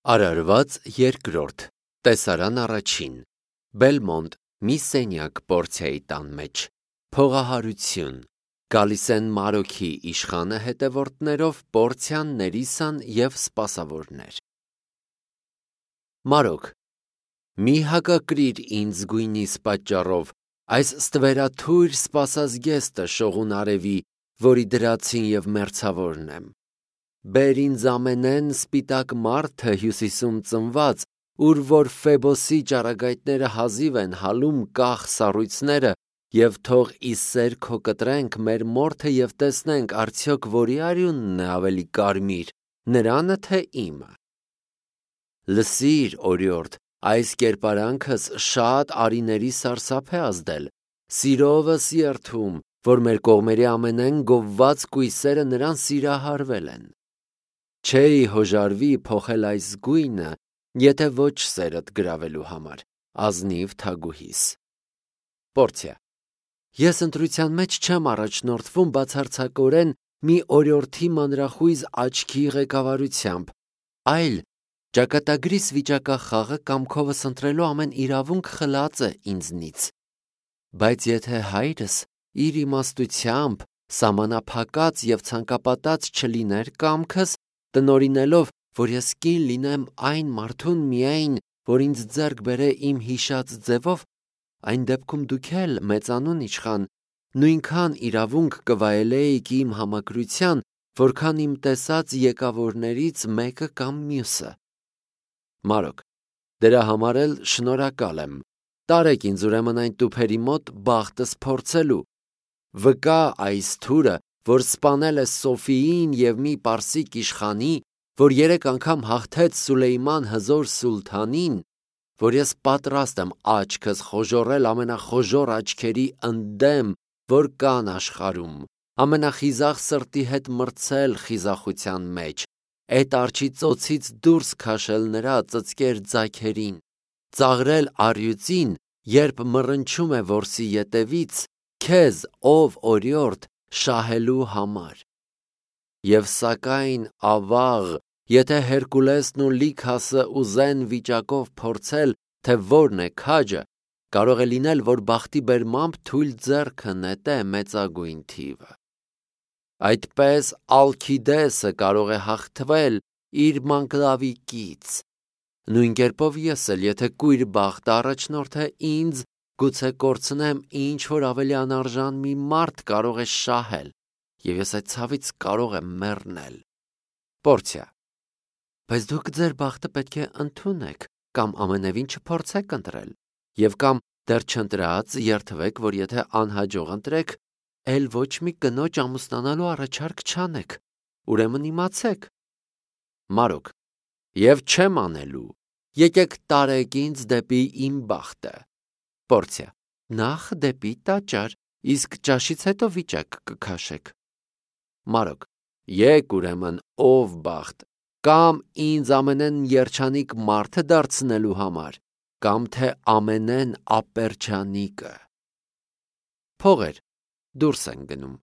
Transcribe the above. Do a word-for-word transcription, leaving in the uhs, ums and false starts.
Արարված երկրորդ, տեսարան առաջին, Բելմոնտ, մի սենյակ Պորցիայի տան մեջ, փողահարություն, գալիս են Մարոքի իշխանը հետևորդներով, Պորցիան, Ներիսան և սպասավորներ։ Մարոք, մի հակակրիր ինձ գույնիս պատճառով, այս ստվերաթույր սպասազգեստը շողուն արևի, որի դրացին և մերձավորն եմ։ Բեր ինձ ամենեն սպիտակ մարդը հյուսիսում ծնված, ուր որ Ֆեբոսի ճառագայթները հազիվ են հալում կախ սառույցները, և թող ի սեր քո կտրենք մեր մորթը և տեսնենք արդյոք որի արյունն է ավելի կարմիր, նրանը թե իմը։ Լսիր, օրիորդ, այս կերպարանքս շատ արիների սարսափ է ազդել, սիրովս երդում, որ մեր կողմերի ամենեն գովված կույսերը նրան սիրահարվել են։ Չէի հոժարվի փոխել այս գույնը, եթե ոչ սերդ գրավելու համար, ազնիվ թագուհիս։ Պորցիա, ես ընտրության մեջ չեմ առաջնորդվում բացարձակորեն մի օրիորդի մանրախույզ աչքի ղեկավարությամբ, այլ ճակատագրիս վիճակախաղը կամքովս ընտրելու ամեն իրավունք խլած է ինձնից։ Բայց եթե հայրս իր իմաստությամբ սահմանափակած և ցանկապատած չլիներ կամքս, տնօրինելով, որ ես կին լինեմ այն մարդուն միայն, որ ինձ ձեռք բերե իմ հիշած ձևով, այն դեպքում դուք էլ, մեծանուն իշխան, նույնքան իրավունք կվայելեիք իմ համակրության, որքան իմ տեսած եկավորներից մեկը կամ մյուսը։ Մարոք, դրա համար էլ շնորհակալ եմ, տարեք ինձ ուրեմն այն տուփերի մոտ բախտս փորձելու։ Վկա այս թուրը, որ սպանել է Սոֆիին և մի պարսիկ իշխանի, որ երեք անգամ հաղթեց Սուլեյման հզոր սուլթանին, որ ես պատրաստ եմ աչքս խոժոռել ամենախոժոռ աչքերի ընդդեմ, որ կան աշխարհում, ամենախիզախ սրտի հետ մրցել խիզախության մեջ, էդ արջի ծոցից դուրս քաշել նրա ծծկեր ձագերին, ծաղրել առյուծին, երբ մռնչում է որսի ետևից, քեզ, ով օրիորդ, շահելու համար։ Եվ սակայն ավաղ, եթե Հերկուլեսն ու Լիքասը ուզեն վիճակով փորձել, թե որն է քաջը, կարող է լինել, որ բախտի բերմամբ թույլ ձեռքը նետե մեծագույն թիվը։ Այդպես Ալքիդեսը կարող է հաղթվել իր մանկլավիկից։ Նույն կերպով ես էլ, եթե կույր բախտը առաջնորդե ինձ, գուցե կորցնեմ ինչ-որ ավելի անարժան մի մարդ կարող է շահել, և ես այդ ցավից կարող եմ մեռնել։ Պորցիա, բայց դուք ձեր բախտը պետք է ընդունեք, կամ ամենևին չփորձեք ընտրել, և կամ դեռ չընտրած երդվեք, որ եթե անհաջող ընտրեք, էլ ոչ մի կնոջ ամուսնանալու առաջարկ չանեք, ուրեմն իմացեք։ Մարոք, և չեմ անելու, եկեք տարեք ինձ դեպի իմ բախտը։ Պորցիա, նախ դեպի տաճար, իսկ ճաշից հետո վիճակ կքաշեք։ Մարոք, եկ ուրեմն ով բախտ, կամ ինձ ամենեն երջանիկ մարդը դարձնելու համար, կամ թե ամենեն ապերջանիկը։ Փողեր, դուրս են գնում։